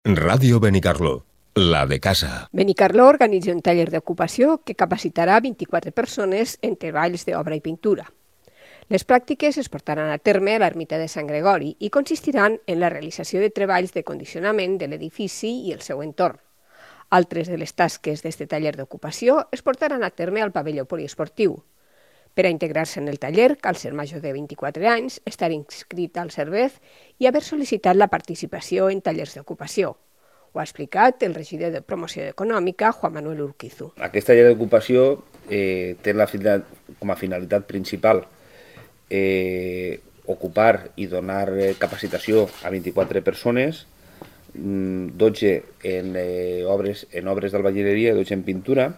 Ràdio Benicarló, la de casa. Benicarló organitza un taller d'ocupació que capacitarà 24 persones en treballs d'obra i pintura. Les pràctiques es portaran a terme a l'ermita de Sant Gregori i consistiran en la realització de treballs de condicionament de l'edifici i el seu entorn. Altres de les tasques d'aquest taller d'ocupació es portaran a terme al pavelló poliesportiu. Per a integrar-se en el taller cal ser major de 24 anys, estar inscrit al CERVEF i haver sol·licitat la participació en tallers d'ocupació. Ho ha explicat el regidor de Promoció Econòmica, Juan Manuel Urquizu. Aquest taller d'ocupació té com a finalitat principal ocupar i donar capacitació a 24 persones, 12 en obres d'albañileria i 12 en pintura,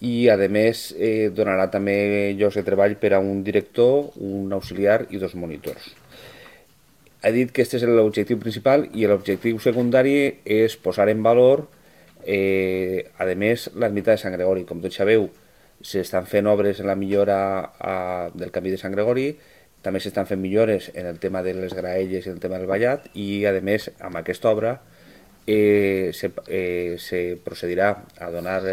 i a més donarà també llocs de treball per a un director, un auxiliar i 2 monitors. Ha dit que aquest és l'objectiu principal i l'objectiu secundari és posar en valor, a més, l'ermita de Sant Gregori. Com tots sabeu, s'estan fent obres en la millora del camí de Sant Gregori, també s'estan fent millores en el tema de les graelles i el tema del ballat, i a més, amb aquesta obra se procedirà a donar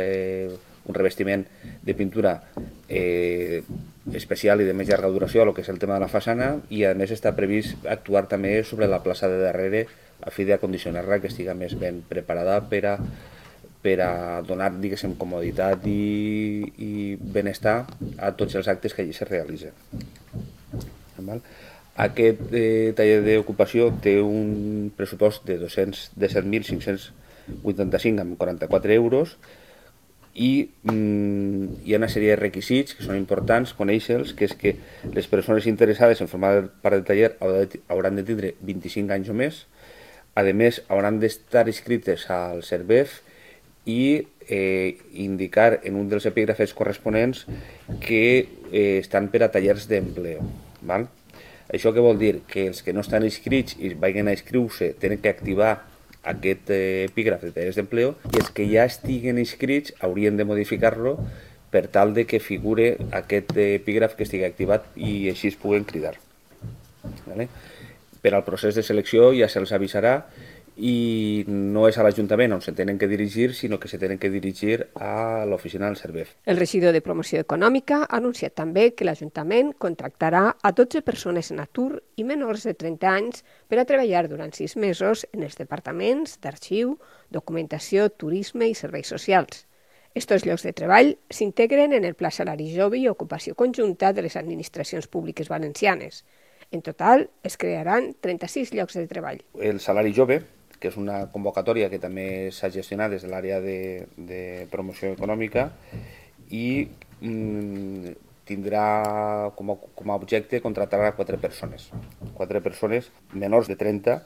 un revestiment de pintura especial i de més llarga duració a lo que és el tema de la façana, i a més està previst actuar també sobre la plaça de darrere a fi d'acondicionar-la que estigui més ben preparada per a donar, diguéssim, comoditat i benestar a tots els actes que allí se realitzen. Aquest taller d'ocupació té un pressupost de 7.585 amb 44 euros, i hi ha una sèrie de requisits que són importants conèixer-los, que és que les persones interessades en formar part del taller hauran de tindre 25 anys o més, a més hauran d'estar inscrites al CERVEF i indicar en un dels epígrafes corresponents que estan per a tallers d'empleo. Això què vol dir? Que els que no estan inscrits i vagin a inscriure-se tenen que activar aquest epígraf de tallers d'empleo, i els que ja estiguen inscrits haurien de modificar-lo per tal de que figure aquest epígraf que estigui activat i així es puguen cridar. Per al procés de selecció ja se'ls avisarà, i no és a l'Ajuntament on se tenen que dirigir, sinó que se tenen que dirigir a l'oficina del CERVEF. El regidor de Promoció Econòmica ha anunciat també que l'Ajuntament contractarà a 12 persones en atur i menors de 30 anys per a treballar durant 6 mesos en els departaments d'arxiu, documentació, turisme i serveis socials. Estos llocs de treball s'integren en el Pla Salari Jove i ocupació conjunta de les administracions públiques valencianes. En total, es crearan 36 llocs de treball. El Salari Jove, que és una convocatòria que també s'ha gestionat des de l'àrea de promoció econòmica, i tindrà com a objecte contractar a 4 persones menors de 30.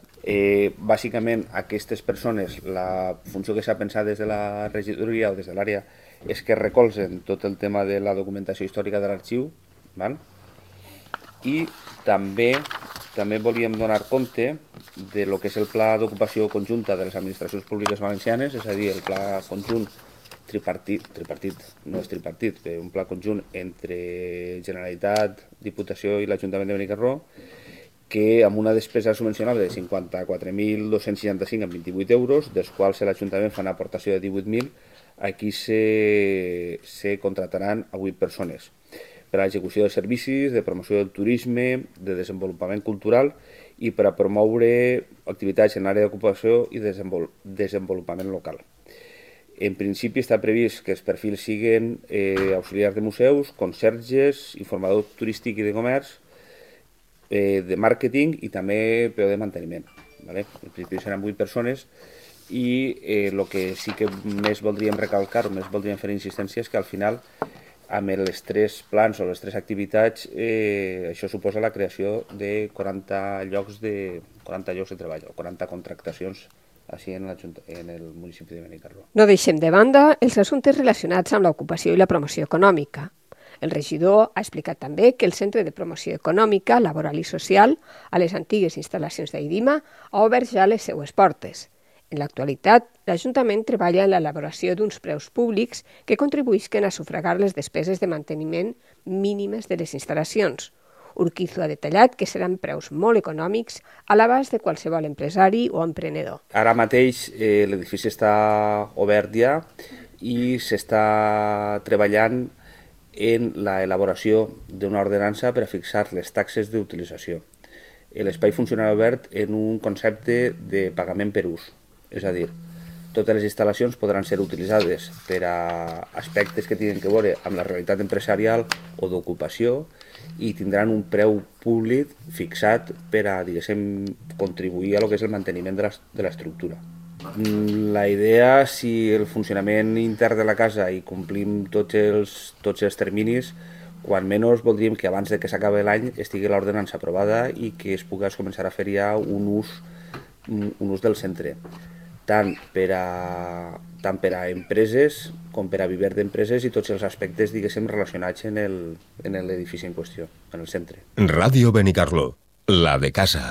Bàsicament, aquestes persones, la funció que s'ha pensat des de la regidoria o des de l'àrea és que recolzen tot el tema de la documentació històrica de l'arxiu, i també volíem donar compte de lo que és el pla d'ocupació conjunta de les administracions públiques valencianes, és a dir, el pla conjunt tripartit, no és tripartit, un pla conjunt entre Generalitat, Diputació i l'Ajuntament de Benicarló, que amb una despesa subvencionable de 54.265 amb 28 euros, dels quals l'Ajuntament fa una aportació de 18.000, aquí se contrataran a 8 persones per a l'execució de servicis, de promoció del turisme, de desenvolupament cultural i per a promoure activitats en l'àrea d'ocupació i desenvolupament local. En principi està previst que els perfils siguin auxiliars de museus, conserges, informador turístic i de comerç, de màrqueting i també PO de manteniment. En principi seran 8 persones, i el que sí que més voldríem recalcar o més voldríem fer insistència és que al final, amb els 3 plans o les 3 activitats, això suposa la creació de 40 llocs de treball o 40 contractacions així en el municipi de Benicarló. No deixem de banda els assumptes relacionats amb l'ocupació i la promoció econòmica. El regidor ha explicat també que el Centre de Promoció Econòmica, Laboral i Social, a les antigues instal·lacions d'Aidima, ha obert ja les seues portes. En l'actualitat, l'Ajuntament treballa en l'elaboració d'uns preus públics que contribuïsquen a sufragar les despeses de manteniment mínimes de les instal·lacions. Urquizo ha detallat que seran preus molt econòmics a l'abast de qualsevol empresari o emprenedor. Ara mateix l'edifici està obert ja i s'està treballant en l'elaboració d'una ordenança per a fixar les taxes d'utilització. L'espai funcionarà obert en un concepte de pagament per ús, és a dir, totes les instal·lacions podran ser utilitzades per a aspectes que tinguin que veure amb la realitat empresarial o d'ocupació i tindran un preu públic fixat per a, diguéssim, contribuir a lo que és el manteniment de l'estructura. La idea, si el funcionament intern de la casa i complim tots els terminis, quan menys voldríem que abans de que s'acabi l'any estigui l'ordenança aprovada i que es pugui començar a fer ja un ús del centre, tant per a empreses com per a viver d'empreses i tots els aspectes, diguéssim, relacionats en l'edifici en qüestió, en el centre. Ràdio Benicarló, la de casa.